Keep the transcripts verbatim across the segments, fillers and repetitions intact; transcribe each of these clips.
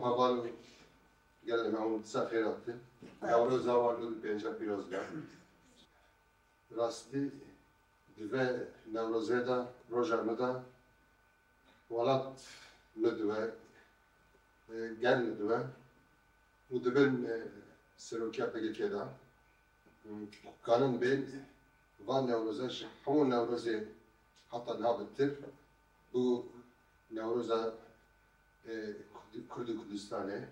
Heval û gelê me hûn ser xêr hatin. Newroza wan du pênce pîroz be. Rastî di vê Newrozê de, roja min de welat min diwe, e, gel min diwe û dibin, e, serokiya P K K de. Kanin bên van Newroze ji hemû Newrozê heta niha bitir bû Newroza, e, Kurd-, Kurd û Kurdistanê.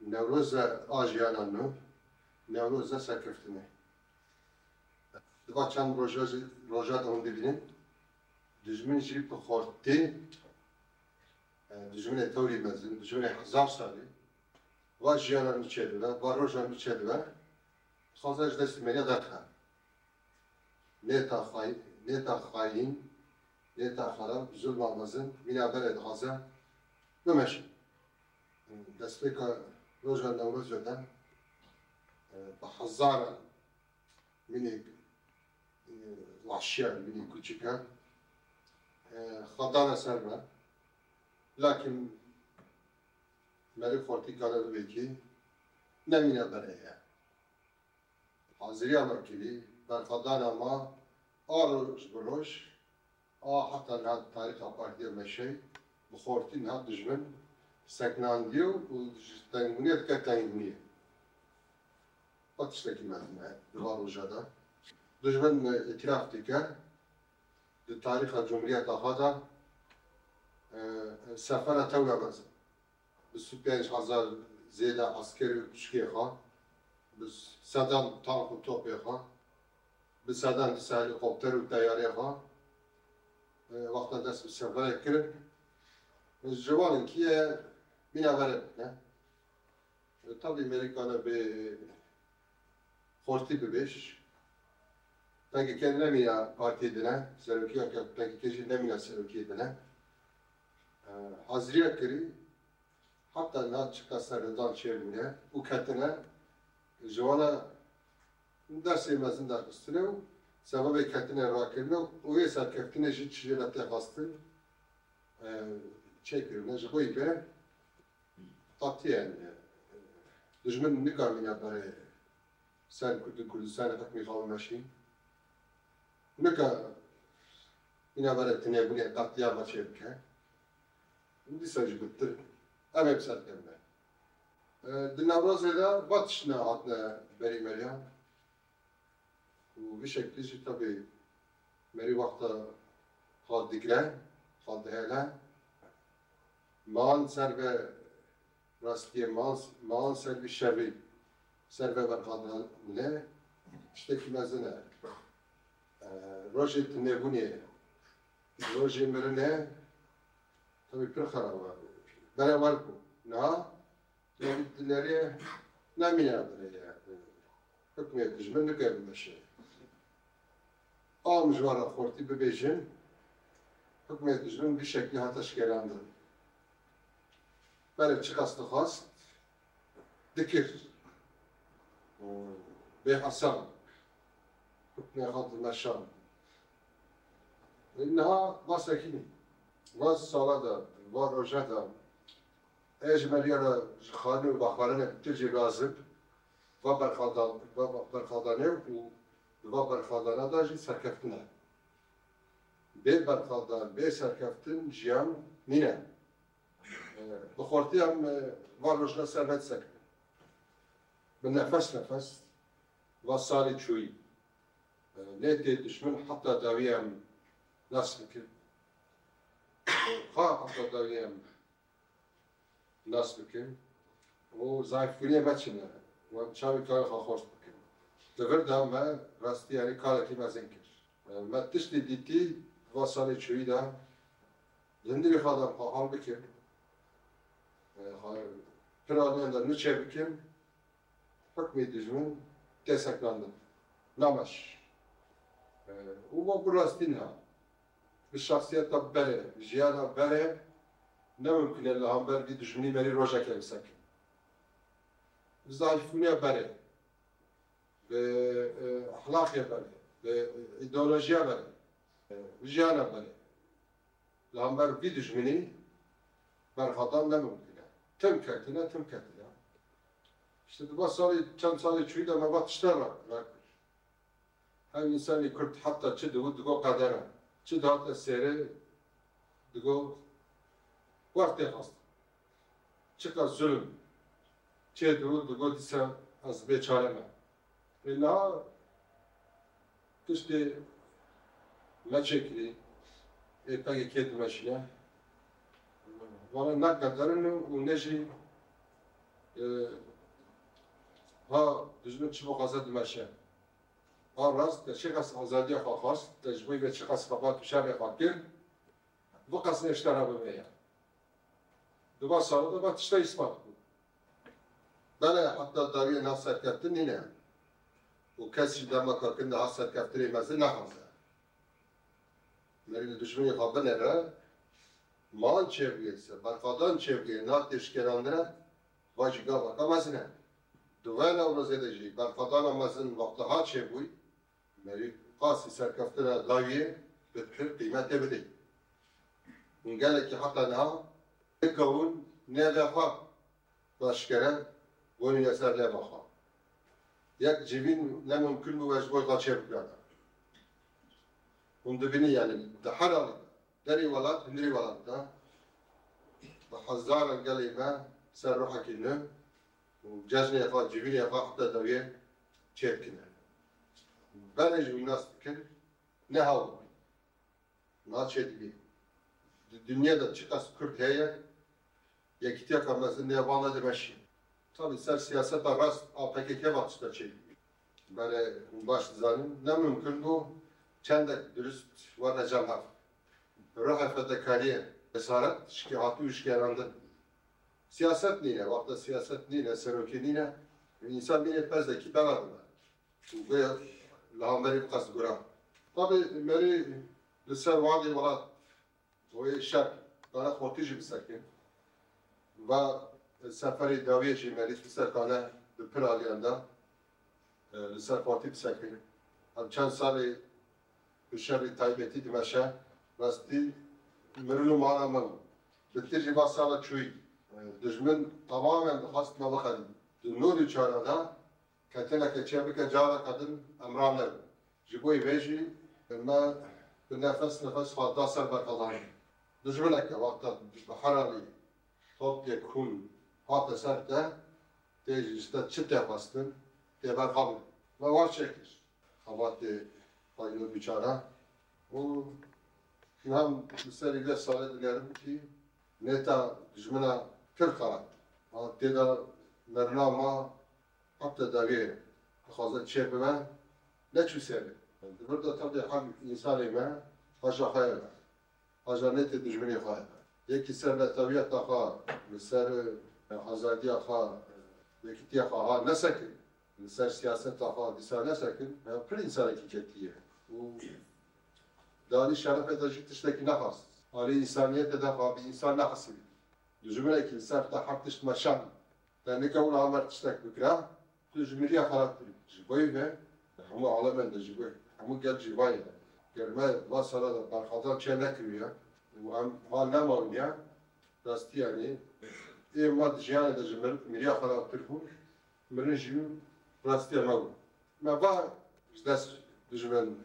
Newroza a jiyana nû, Newroza serkeftinê. Di va çend roja jî, roja de hûn dibînin, dijmin jî bi xortî, e, dijminê tewrî mezin, dijminê hezar salî, va jiyana nû çêdibe, va roja nû çêdibe, dixwaze ji destê me derxe. Nêta xay-, nêta xayîn, nêta xerab, zulma mezin, mîna berê dixwaze bimeşe. Destpêka roja Newrozê de, e, bi hezaran mînî, e, wahşiyan, mînî kuçikan, e, xwe dane ser me. Lakin merî xortî kare bibê kî ne mîna berê ye. Haziriya me kirî, berxwedana me a roj bi roj, a heta niha tarîxa partiya me şey, bi xortî niha dijmin seknandiye û ji tengbûniyê dike tengbûniyê. Ev tiştekî mezin e di van roja de. Dijmin îtiraf dike, di tarîxa cumhuriyeta xwe de, e, sefera tewra mezin. Bi sî û pênc hezar zêde eskerî û pişkê xwe, bi sedan tank û topê xwe, bi sedan dîsa helîkopter û teyarê xwe, e, wexta dest bi seferê kirin, ji wan in kî ye mîna verê bike. E, tabî Merîkana bê xortî bibêj. P K K nemîna partiyê dine, serokiya ke P K K jî nemîna serokiyê dine. E, haziriya kirî, heta niha çika serhildan çêbûne û ketine, ji wana dersê mezin derxistine û sebebê ketine rakirine û wê serkeftinê jî çi jê re tê xwestin, e, çêkirine. Ji bo yî be qetiyen, e, dijmin nikarîne berê ser Kurd û Kurdistanê hikmî xwe bimeşî. Nika mîna berê tinêbûnê qetlîama çêbike. Dîsa jî bitir em ê bi ser kevine. E, di Newrozê de va tiştine hatine berî meriyan. Û vî şeklî jî tabî merî wexta xwe digre, xwe dihêle. Maan ser ve rastiyê, maan, maan ser vî şerî, ser ve berxwedane tiştekî mezin e. E, rojê tinêbûnê, rojê mirinê, tabî pir xerab e. Bere wer bû. Niha Yê dinerê nemîne birê ye. Hukmê dijmin nike bimeşe. Am ji wan re xortî bibêjin, hukmê dijmin vî şeklî hate şikelandin. Berê çiqas dixwast, dikir. Bê hesab. Hukmê xwe dimeşand. Niha va sekinî. Va sala de, va roja de, Ê ji me riya re ji xwarin û vexwarinê tu jî razib, va berxaldan-, va, va berxaldanê û di va berxaldana de jî serkeftin e. Bê berxaldan, bê serkeftin jiyan nîne. E, bi xortî em, e, va rojna ser ve disekinin. Bi nefes nefes, va salê çûyî. E, nê tê dijmin heta dawî em nas bikin. Xwe heta dawî em nas bikin û zayîfbûnê veçine. Wan çavê karê xwe xweş bikin. Di vir de me rastî yanî karekî mezin kir. Me tiştê dîtî va salê çûyî de li hundirê xwe de xwe hal bikin. Xwe pir aliyên de nû çêbikin. Hukmê dijmin tê sekinandin. Nameş. E, û va bi rastî niha. Bi şexsiyeta berê, jiyana berê ne mimkun e li hember vî dijminî merî rojekê bisekin. Bi zayîfbûniya berê, bi, e, ehlaqê berê, bi, e, îdeolojiya berê, e, bi jiyana berê. Li hember vî dijminî berxwedan ne mimkun e. Tim ketine, tim ketine. Îşte di va salê, çend salê çûyî de me va tişta ra, ra kir. Her însanê Kurd heta çi digot, digot qeder e. Çi dihate sêrê, digot wer têxist. Çiqas zulm çê digot, digot dîsa ez bê çare me. Ê niha tiştê me çêkirî, ê P K K dimeşîne. Vana ne qeder in û ne jî, e, ha dijmin çi bixwaze dimeşe. Ha rast, te çiqas azadiya xwe xwest, te ji bo vê çiqas xebat û şerê xwe kir, biqas nê ji te re bibe ya. Di va sala de va tişta îspat bû. Belê heta dawiyê nav serkeftin nîne. Û kes jî dema kakin de ha serkeftinê mezin nexwaze. Merî li dijminê xwe binêre, man çêbûye, se berxwedan çêbûye, nav tê şikêrandine, va jî gavaka mezin e. Di vê newrozê de jî berxwedana mezin wexta ha çêbûy, merî qasî serkeftina dawiyê bi pir qîmetê bidê. Hûn gelekî heta niha nikewin nêvê xwe aşkere gonîne ser nêva xwe. Yek civîn ne mimkun bû we ji bo xwe çêbikirana. Hûn dibînin, yanî di her alî de, derê welat, hundirê welat de, bi hezaran gelê me ser ruhekî nû û cejnê xwe, civînê xwe heta dawiyê çêdikine. Belê jî hûn nas dikin, ne hewl bû. Niha çêdibî. Di dinyê de çiqas Kurd heye, yekîtiyeka mezin nêva nedimeşî. Tabî ser siyaseta rast a P K K ve tişta çêdibî. Belê hûn baş dizanin, ne mimkun bû çendek dirust werne cem hev. Ruhê fedekariyê, cesaret, şikê hatî û şikêrandin. Siyaset nîne, wexta siyaset nîne, serokê nîne, însan bînê pezekî beva dibe. Û vê li hemberî bi qas gura. Tabî merî li ser wadê welat, wê şer, dane xortî jî bisekin. Va seferê dawiyê jî merî li ser kane bi pir aliyan de, e, li ser xortî bisekin. Em çend salê bi şerî taybetî dimeşe, rastî mirin û mala me bû. Bi tir jî va sala çûyî. E, dijmin tamamen dixwest me bixelî. Di nod û çar de ketineke çêbike, careke din em ranevin. Ji bo vê jî me bi nefes nefes xwe da ser berxwedanê. Dijmineke wexta bi her alî top yek hûn hate ser te, tê ji te çi tê xwestin, tê berxwe bin. Me wan çêkir. Xebatê xwe yî nod û çar û niha li serî vê salê dinêrim kî nêta dijmina pir xerab. Tê de merina ma Heta dawiyê dixwaze çê bibe, neçû serê. Di vir de tabî hem însanê me haja xwe ye be. Haja nêtê dijminê xwe ye be. Yekî ser netewiyeta xwe, li ser, e, azadiya xwe, e, yekîtiya xwe ha nesekin. Li ser siyaseta xwe dîsa nesekin. Ya pir însanekî ketiye. Û di alî şerefê de jî tiştekî nexwest. Alî însaniyetê de xwe bi însan nehesibî. Dijminekî li ser te her tişt meşand. Te nikewna amer tiştek bikira, tu ji miriya xerabtir î. Ji bo vê, hemû alemên de ji bo, hemû gel jî vayê de. Ger me va sala de berxwedan çê nekiriya û em ha nemawniya, rastî yanî, ê me di jiyanê de ji mir-, miriya xerabtir bû, mirin jî rastiya me bû. Me va ji dest dijmin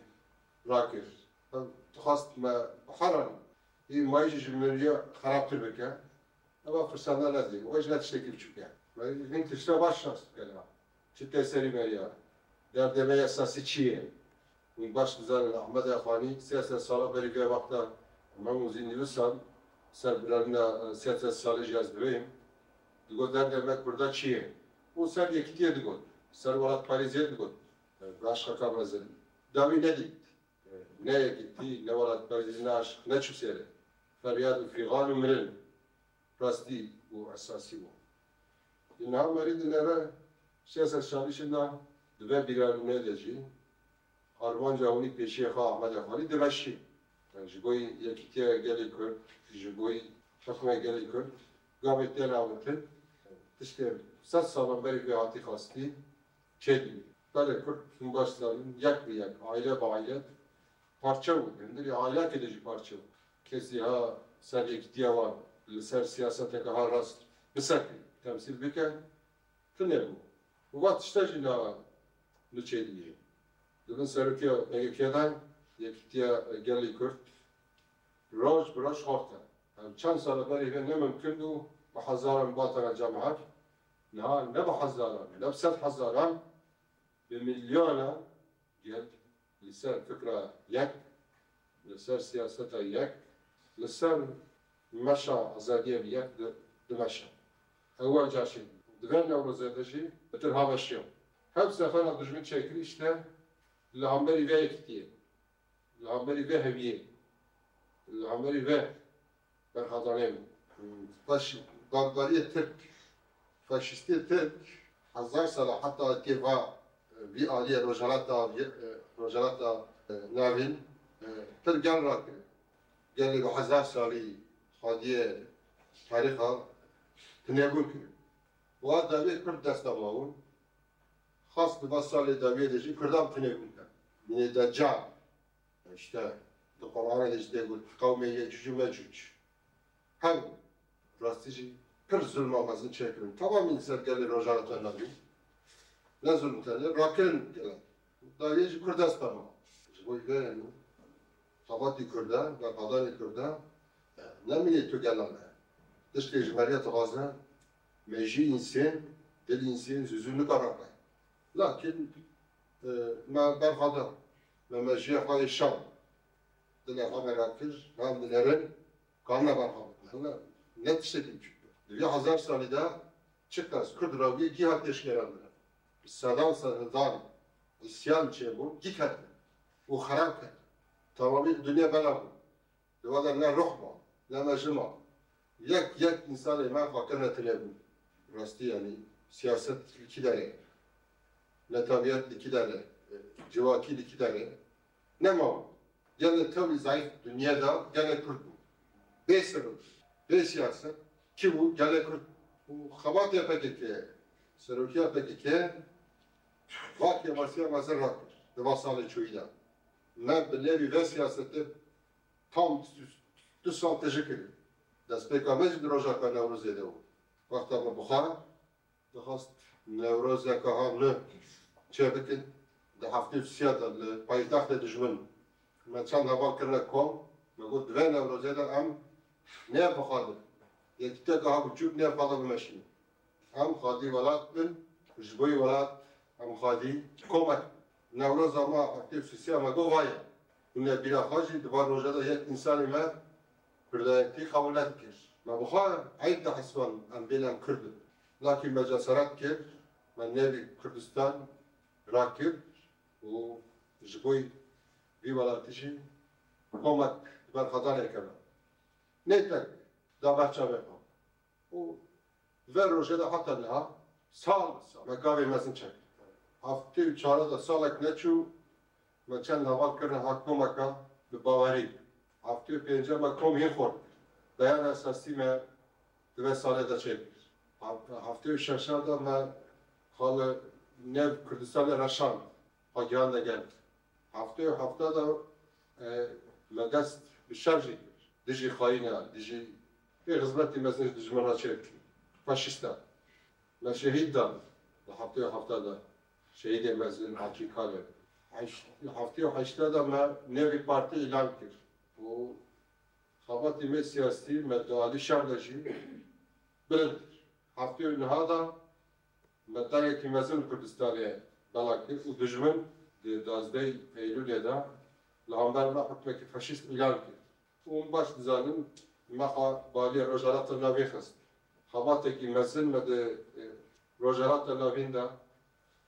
rakir. Em dixwest me biheranî. Ê mayî jî ji miriya xerabtir bike. Eva firsenda nedî. Ew jî ne tiştekî biçûk e. Me hin tişta baş nas dike la. Çi tê serî me ya. Derdê me esasî çi ye? Hûn baş dizanin Ahmed Exwanî sê sed sala berî vê wexta me û zî nivîsan ser birevîna, e, sê sed salî jî ez birêyim. Digot derdê me Kurda çi ye? Û ser yekîtiyê digot. Ser welatparêziyê digot. E, bi aşqeka mezin. Dawî nedît. Ne yekîtî, ne welatparêzî, ne aşiq, neçû sêre. Feryad û fîxan û mirin rastî û esasî bû. Niha merî dinere sê sed salî şinda di vê bîranûnê de jî armanca hûnî pêşiyê xwe Ahmedê Xalî dimeşî. Yani ji bo yekîtiya gelê Kurd, ji bo hukmê gelê Kurd gavê tê nawitin, tiştê sed salan berî vê hatî xwestî. Çêdibî. Belê Kurd hûn baş zanin, yek bi yek, aile bi aile parçe bû. Hundirê ailekê de jî parçe bû. Kesî ha ser yekîtiya wan li ser siyaseteke ha rast bisekî, temsîl bike, tune bû. Û va tişte jî na li çêdiyê. Di bin serokiya P K K de Yekîtiya Gelê Kurd roj bi roj xort e. Ev çend sala berê vê ne mimkun bû, bi hezaran batana cemaet. Niha ne bi hezaran, ne bi sed hezaran, bi milyonan gel li ser fikra yek, li ser siyaseta yek, li ser meşa azadiyê bi yek di, dimeşe. Ew caşê. Di vê Newrozê de jî bitir haweşiya. Her sefera dijmin çêkirî işte li hemberî vê yekîtiyê, li hemberî vê heviyê, li hemberî vê berxwedanê bû. Faş-, barbariyê Tirk, faşîstiyê Tirk hezar sala heta tê va, vî aliyê Rojhilata, vî, e, Rojhilata, e, Navîn, e, pir gel rakir. Gelê bi hezar salî xwediyê tarîxa tinêbûn kirin. Wa dawiyê Kurd dest de mabûn. Xas di va salê dawiyê de jî Kurdan tinêbûn kirin. Mînê Deccal. İşte di Qur'anê de jî tê got, qewmê Yecûc û Mecûc. Hem rastî jî pir zulma mezin çêkirin. Tamamî li ser gelê Rojava te nebû. Ne zulm tenê, rakirin gelek. Dawiyê jî Kurd dest pê ma. Ji bo vê yanî xebatî Kurda, berxwedanê Kurda, e, ne mînê tu gelan e. Tiştê ji meriya dixwaze, mejî însên, dil însên, zû zû nikare be. Lakin, e, me berxweda, me mejiyê xwe yê şan. Dilê xwe me rakir, me em dinerin, ka me berxwe bikin. Hela ne tiştekî biçûk be. Di vî hezar salî de çiqas Kurd rawiyê cîha pêşkeran bine. Bi sedan serhildan îsyan çêbû, cî ketin û xerab ketin. Temamî dinya bela bû. Li we de ne ruh ma, ne mejî ma. Yek, yek însanê me xwe kirine tinêbûn. Rastî yanî siyaset li kî derê, netewiyet li kî derê, civakî li kî derê. Nema. Gelê tewlî zayîf dinyê de gelê Kurd bû. Bê serok, bê siyaset kî bû? Gelê Kurd bû. Û xebatê P K K, serokiya P K K va kêmasiya mezin rakir di va salê çûyî de. Me bi nêvî vê siyasetê tam du sal tije kirin. Destpêka me jî di rojaka Newrozê de bû. Wexta me bi xwe dixwest Newrozeke ha nû çêbikin, di heftê û sisiya de li paytextê dijmin me çend heval kirine kom, me got, di vê Newrozê de em nê bi xwe de, yekîtiyeke ha biçûk nê bi xwe de bimeşînin. Em xwedî welat bin, ji bo welat em xwedî komek bin. Newroza me heftê û sisiya me got, va ye. Hûn ê bîra xwe jî di van roja de yek însanî me Kurdayetî qebûl nedikir. Me bi xwe eyb dihesiband em bêne em Kurd in. Lakî me cesaret kir, me nêvî Kurdistan rakir û ji bo vî welatî jî komek di berxwedanê keve. Nê tek da behça vê xwe. Û vê rojê de heta niha sal bi sal me gavê mezin çek. Heftê û çar de salek neçû me çend heval kirine ha komeka bi bawerî. Heftê û pênc me kom hîn xort. Beyana esasî me di vê salê de çêkir. Heftê û şeş de me xwe li nêv Kurdistanê reşand. Xwe gihandine gel. Heftê û heft de, e, me dest bi şer jî kir. Dijî xayîna, dijî vê xizmetî mezin ji dijmin re çêkir. Faşîsta. Me şehîd dan. Li heftê û heft de şehîdê mezin Akî Kale. Heş-, heftê û heşt de me nêvî partî îlan kir. Û xebatê me siyasî me di alî şer de jî bilind kir. Heftê û neh de me dengekî mezin li Kurdistanê bela kir û dijmin di duwazdeh Eylûlê de li hember me hukmekî faşîst îlan kir. Û hûn baş dizanin, me xwe baliyê Rojhilata Navîn xist. Xebatekî mezin me di, e, Rojhilata Navîn de,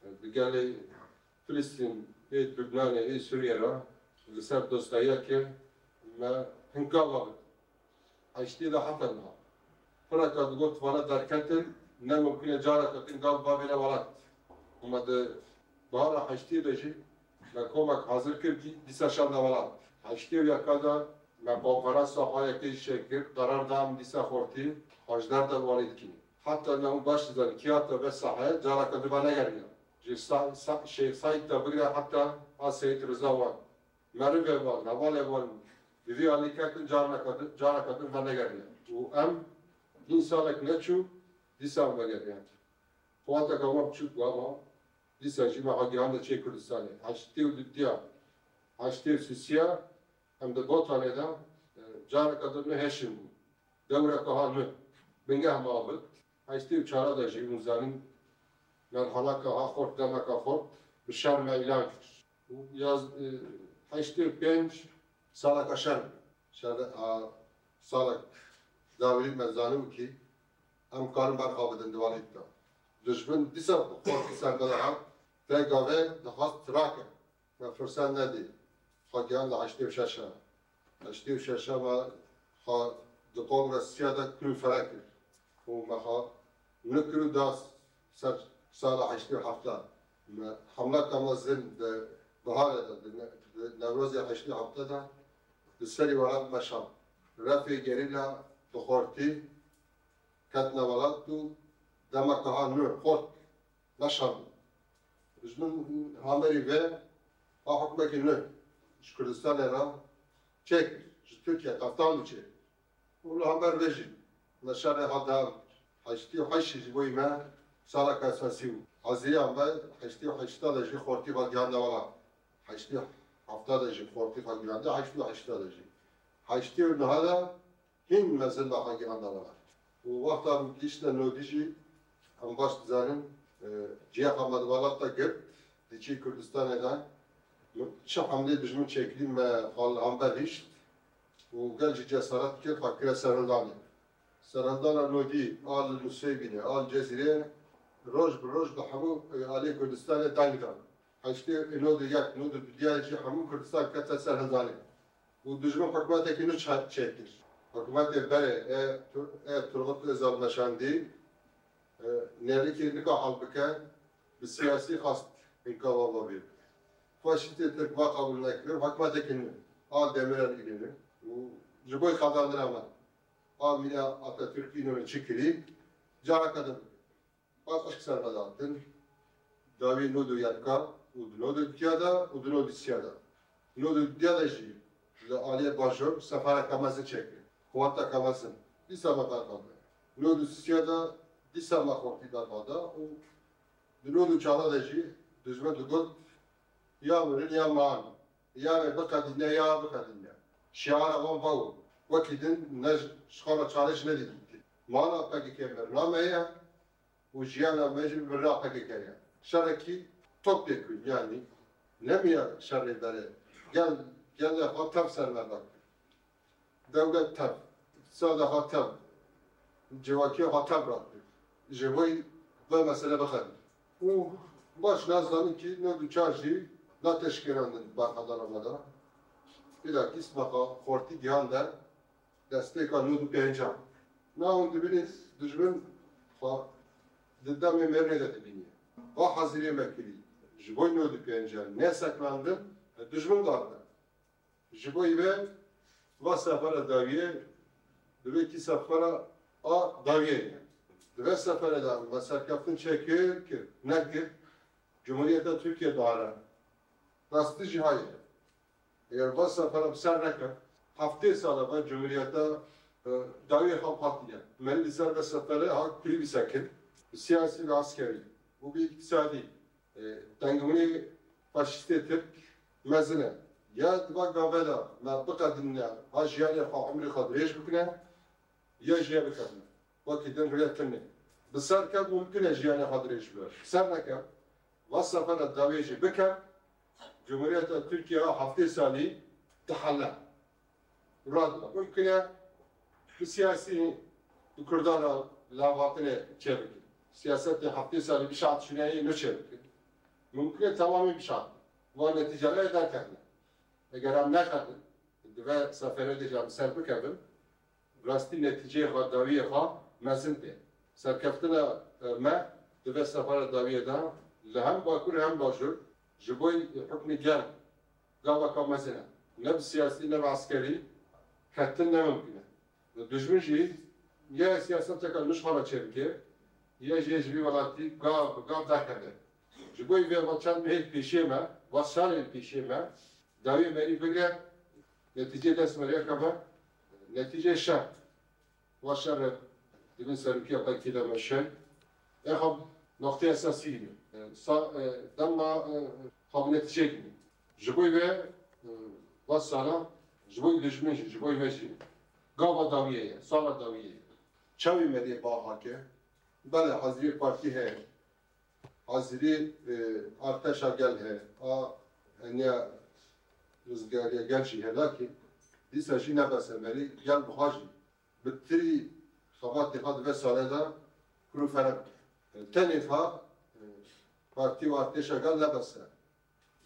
e, bi gelê Filistîn, ê Lubnanê, ê Sûriyê re li ser dostayiya kir, me hin gav avêt. Heştê de heta niha. Pireka digot, vana derketin, ne mimkun e careke din gav bavêne welat. Û me di bahara heştê de jî me komek hazir kir, dî-, dîsa şanda welat. Heştê û yeka de me konferansa xwe yekê jî çêkir, qerar da em dîsa xortî hejdeh de wanî dikin. Heta niha hûn baş dizanî, kî hate vê saheyê careke din venegeriya. Ji Sa-, Sa-, Şêx Seîd de bigire heta a Seyîd Riza wan. Merivê wan, hevalê wan bi vî alî ketin, carneka din, careka din venegeriya. Û em hîn salek neçû, Dîsa me geriya. Xwateka me biçûk bû ama dîsa jî me ha gihande çê Kurdistanê. Heştê û dudiya, heştê û sisiya em di Botanê de, e, careke din ne heşin bû. Dewreke ha nû. Bingeh me abit. Heştê û çara de jî hûn zanîn merhaleke ha xort, demeke xort bi şer me îlan kir. Û yaz, e, heştê û pênc saleke şer bû. Şer, a, salek dawî me zanibû kî em karin berxa bidin di walît de. Dijmin dîsa xortî ser me de hat, vê gavê dixwest rake. Me firset nedî. Xwe gihand li heştê û şeş e. Heştê û şeş e me xwe di kongresiya de kul û fere kir. Û me xwe nikir û da ser sala heştê û heft e. Me hemleka mezin di biharê de, di ne-, di Newrozê heştê û heft de, di serî welat meşand. Refê gerîla bi xortî ketine welat û demeke ha nû xort meşand. Ji min hamerî ve a hukmekî nû ji Kurdistanê re çêkir, ji Tirkiye qeftan çêkir. Û li hember vê jî me şerê ha dewam kir. Heştê û heşt ji bo me saleke esasî bû. Heziriya me heştê û heşt de jî xortî xwe gihande welat. Heştê û heft de jî xortî xwe gihande, heştê û heşt de jî. Heştê û neh de hîn mezin be xwe gihande welat. Û wexta em gihiştine nodî jî, em baş dizanin, e, cihê xwe me di welat de girt, di çî Kurdistanê de çi hemlê dijmin çêkirî me xwe li hember hişt û gel jî cesaret kir, xwe kire serhildanê. Serhildana nodî a li Nusêbînê, a li Cezîrê roj bi roj bi hemû, e, aliyê Kurdistanê deng dan. Heştê û nod û yek, nod û du diya jî hemû Kurdistan kete serhildanê. Û dijmin hikûmetekî nû çe-, çêkir. Hikûmetê berê ê Tur-, ê Turgut Özal meşandî, e, nêrîkê nika hal bike, bi siyasî xwest înkava vê bike. Faşîstê Tirk va qebûl nekir, hikûmetekî nû a Demirel Înönü û ji bo xezandina me a mîna Atatürk Înönü çi kirî, careke din bike. Paqij ser me datin, dawî nod û yeka û di nod û diya de û di nod û siya de. Nod û diya de jî li aliyê bajor sefereke mezin çêkir. Quweteke mezin. Dîsa me berxwe. Nod û siya de dîsa me xortî berxwe da û di nod û çar de jî dijmin digot ya mirin ya man. Ya me biqedîne ya biqedîne. Şiara wan va bû. Wekî din ne ji xwe re çare ji nedî dîtin. Mana P K K mirina me ye. û jiyana me jî bi birina P K K ye. Şerekî top pêk bûn, yanî nemiya şerê berê. Gel, gelê xwe tev ser me rakir. Dewlet tev, îqtisada xwe tev, civakiya xwe tev rakir. Ji bo vê mesele bixebin. Û baş nazanin kî nod û çar jî nate şikêrandin berxwedana me de. Bilakîs me xwe xortî gihande destpêka nod û pêncan. Na hûn dibînin dijmin xwe di demê mêrnê de dibîniye. Va hezirê me kirî ji bo nod û pêncan neseknandin, dijmin darbe. Ji bo vê va sefera dawiyê, divê kî sefera a dawiyê ye. Di vê seferê de me serkeftin çêkir, kir, nekir, Cumhuriyeta Tirkiye dare. Rastî jî hayê. Eger va sefera bi ser neke, heftê sala ve Cumhuriyeta, e, dawiyê xwe hatiye. Merî li ser ve sefere ha kulî bisekin. Bi siyasî ve askerî û bi îktisadî, e, tengbûnê faşîstê Tirk mezin e. Ya di va gave de me biqedînine, ha jiyanê xwe, umrê xwe dirêj bikine, ya jî ya bikevine. Wekî din rûyê tune. Bi ser kev mumkin e jiyanê xwe dirêj bibe. Bi ser nekev, va sefera dawiyê jî bike, Cumhuriyeta Tirkiye a heftê salî dihele. Radibe. Mumkin e bi siyasî bi Kurdan re lavatinê çêbike. Siyasetê heftê salî bişatişîneyê ne çêbike. Mumkin e temamî bişat. Va netîceleyê derkevine. Eger em neqedin, di ve seferê de jî em ser bikevin, rastî netîceyê xwe, dawiyê xwe mezin tê. Serkeftina, e, me di vê sefera dawiyê de li hem Bakur hem Bajûr ji bo hukmî germ gaveka mezin e. Ne bi siyasî ne bi eskerî ketin ne mimkun e. Dijmin jî ya siyaseteke nû ji xwe re çêbike, ya jî ji vî welatî gav bi gav derkeve. Ji bo vê va çend mehê pêşiyê me, va salên pêşiyê me, dawiyê merî bigre, netîceyê dest me rê keve, netîceyê şer. Va şer Divê serokî ya P K K de meşe. Exa noqtê esasî ye. E, sa, e, dema, e, xwe bi netîceyek bîne. Ji bo vê, e, va sala, ji bo dijmin jî, ji bo me jî gava dawiyê ye, sala dawiyê ye. Çavê me dê ba hake. Belê, hazirî partî heye. Hazirî, e, artêşa gel heye. A, heniya rizgariya gel jî heye, lakîn dîsa jî ne bes e, merî gel biha jî bi tirî xebatê xwe di vê salê de kul û fere bike. Tenê xwe, e, partî û artêşa gel ne bes e.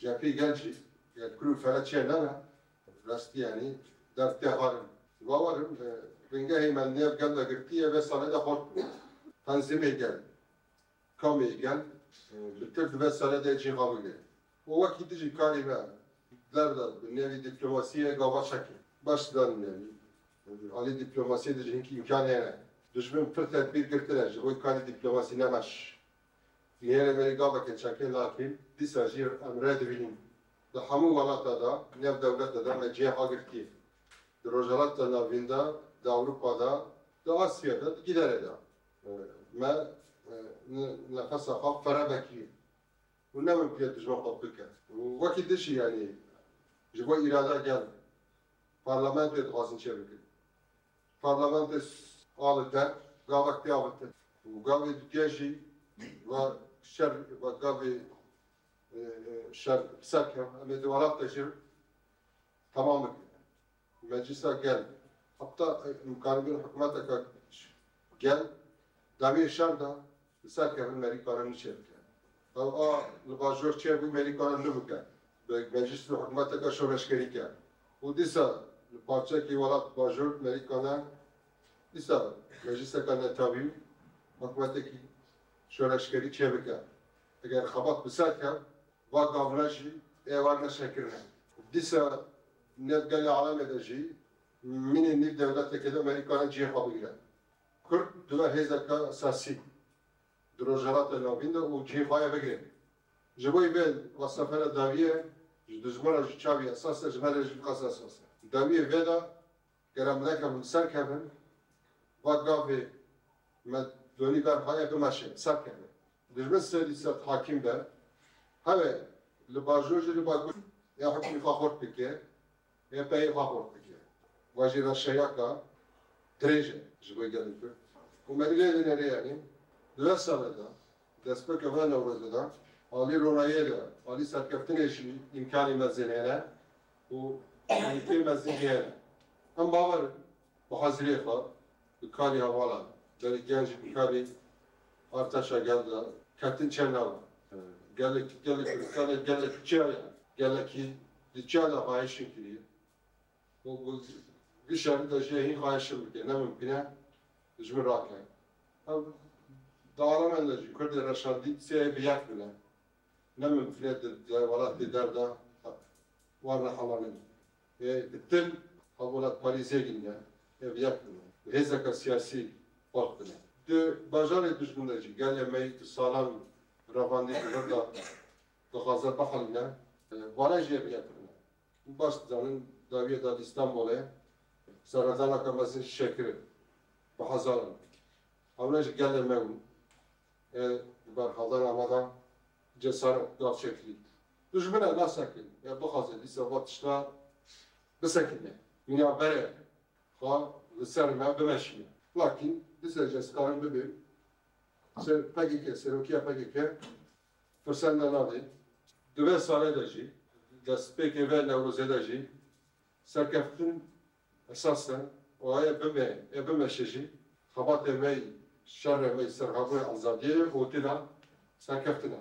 Cephê gel jî, gel kul û fere çê nebe, rastî yanî derfetê xwe in. Bawer im, e, bingehê me nêv gel de girtiye, vê salê de xurt bû. Tenzîmê gel, kamê gel, e, bi tir di vê salê de cî xwe bigire. Û wekî dijî karê me, derda bi nêvî dîplomasiyê gava çekê. Baş dan nêvî. Alî dîplomasiyê dijî hinkî îmkanê hene. Dijmin pir tedbîr girtine, ji bo karê dîplomasî nemeş. Nêrê me gaveke çekê, lakîn dîsa jî em rê dibînin. Di hemû welata de, nêv dewlete de me cihê xwe girtiye. Di Rojhilata Navîn de, di Ewropa de, di Asya de, di giderê de, e, me, e, ne-, nefesa xwe fere vekiye. Û ne mimkun e dijmin xwe bike. Û wekî dijî, yanî, ji bo îrada gel, parlamentoyê dixwazin çêbikin. Parlamentê s-, a li der gavek tê avêtin. Û gavê dudiye jî ve şer, ve gavê, e, e, şer bi ser ket. Em ê di welat de jî temam bikin. Meclisa gel. Heta, e, imkanî bin hikûmeteke gel, demê şer de, Li ser kevin merî kare niçe bike. Ew a li bajor çêbû merî kare nibike. Bi meclis û hikûmeteke şoreşgerî ke. Û dîsa li parçekî welat bajor merî kane, dîsa mecliseke netewî û hikûmetekî şoreşgerî çêbike. Eger xebat bi ser ke, va gavina jî ê wan neşekirine. Dîsa nêv gelê alemê de jî mînê nîv dewleteke de merî kane cihê xwe bigire. Kurd dibe hêzeke esasî di Rojhilata Navîn de û cihê xwe ye bigire. Ji bo vê wesefera dawiyê ji dijmana jî çavî esas e, ji me re jî qas esas e. Dawiyê vê de gere em nekevin ser kevin, va gavê me donî ber xwe ye bimeşe, ser kevin. Dijmin serî ser hakîm be, heve li bajor jî li bakur ya hukmî xwe xurt bike, YPG'yê xwe xurt bike. Va jî reşeyaka dirêj e ji bo gelê Kurd. Û me lê dinêre, yanî di vê salê de, destpêka vê Newrozê de, alî ronayê de, alî serkeftinê jî îmkanî mezin hene û îmkanî mezin hene. Em bawer in bi hazirê xwe, bi karî hevalan, berî genc bi karî artêşa gel de ketin çênabe. Gelek, gelek Kurdistanê gelek çiya ye. Gelekî di çiya de xwahişin kiriye. Û bi vî şerî de jî hîn xwahişin bike. Ne mimkun e ji min rake. Ev di alemên de jî Kurdê reşandî sê bi yek bine. Ne mimkun e di, di welatê der de wan re helanîn. Ê, bi til hevwelatparêzê gîne, ê bi yek bine. Bi hêzeke siyasî fark bine. Di bajarê dijmin de jî gelê me yî di salan revandî di vir de dixwaze bihelîne. Ê, vane jî ê bi yek bine. Baş dizanin dawiyê de di Îstanbulê serhildaneke mezin jî çêkirin. Bi hezaran. Ewne jî gelê me bûn. Ê, di berxwedana me de cesaret gav çêkirî. Dijmin e nasekin, ya bixwaze dîsa va tişta bisekine. Mîna berê xwe li ser me bimeşîne. Lakîn dîsa jî ez karim bibêm ser P K K, serokiya P K K firsen de nade. Di vê salê de jî, destpêkê vê Newrozê de jî serkeftin esas e. Û ê bime, ê bimeşe jî xebatê me yî, şerê me yî ser hebûyê azadiyê û têna serkeftin e.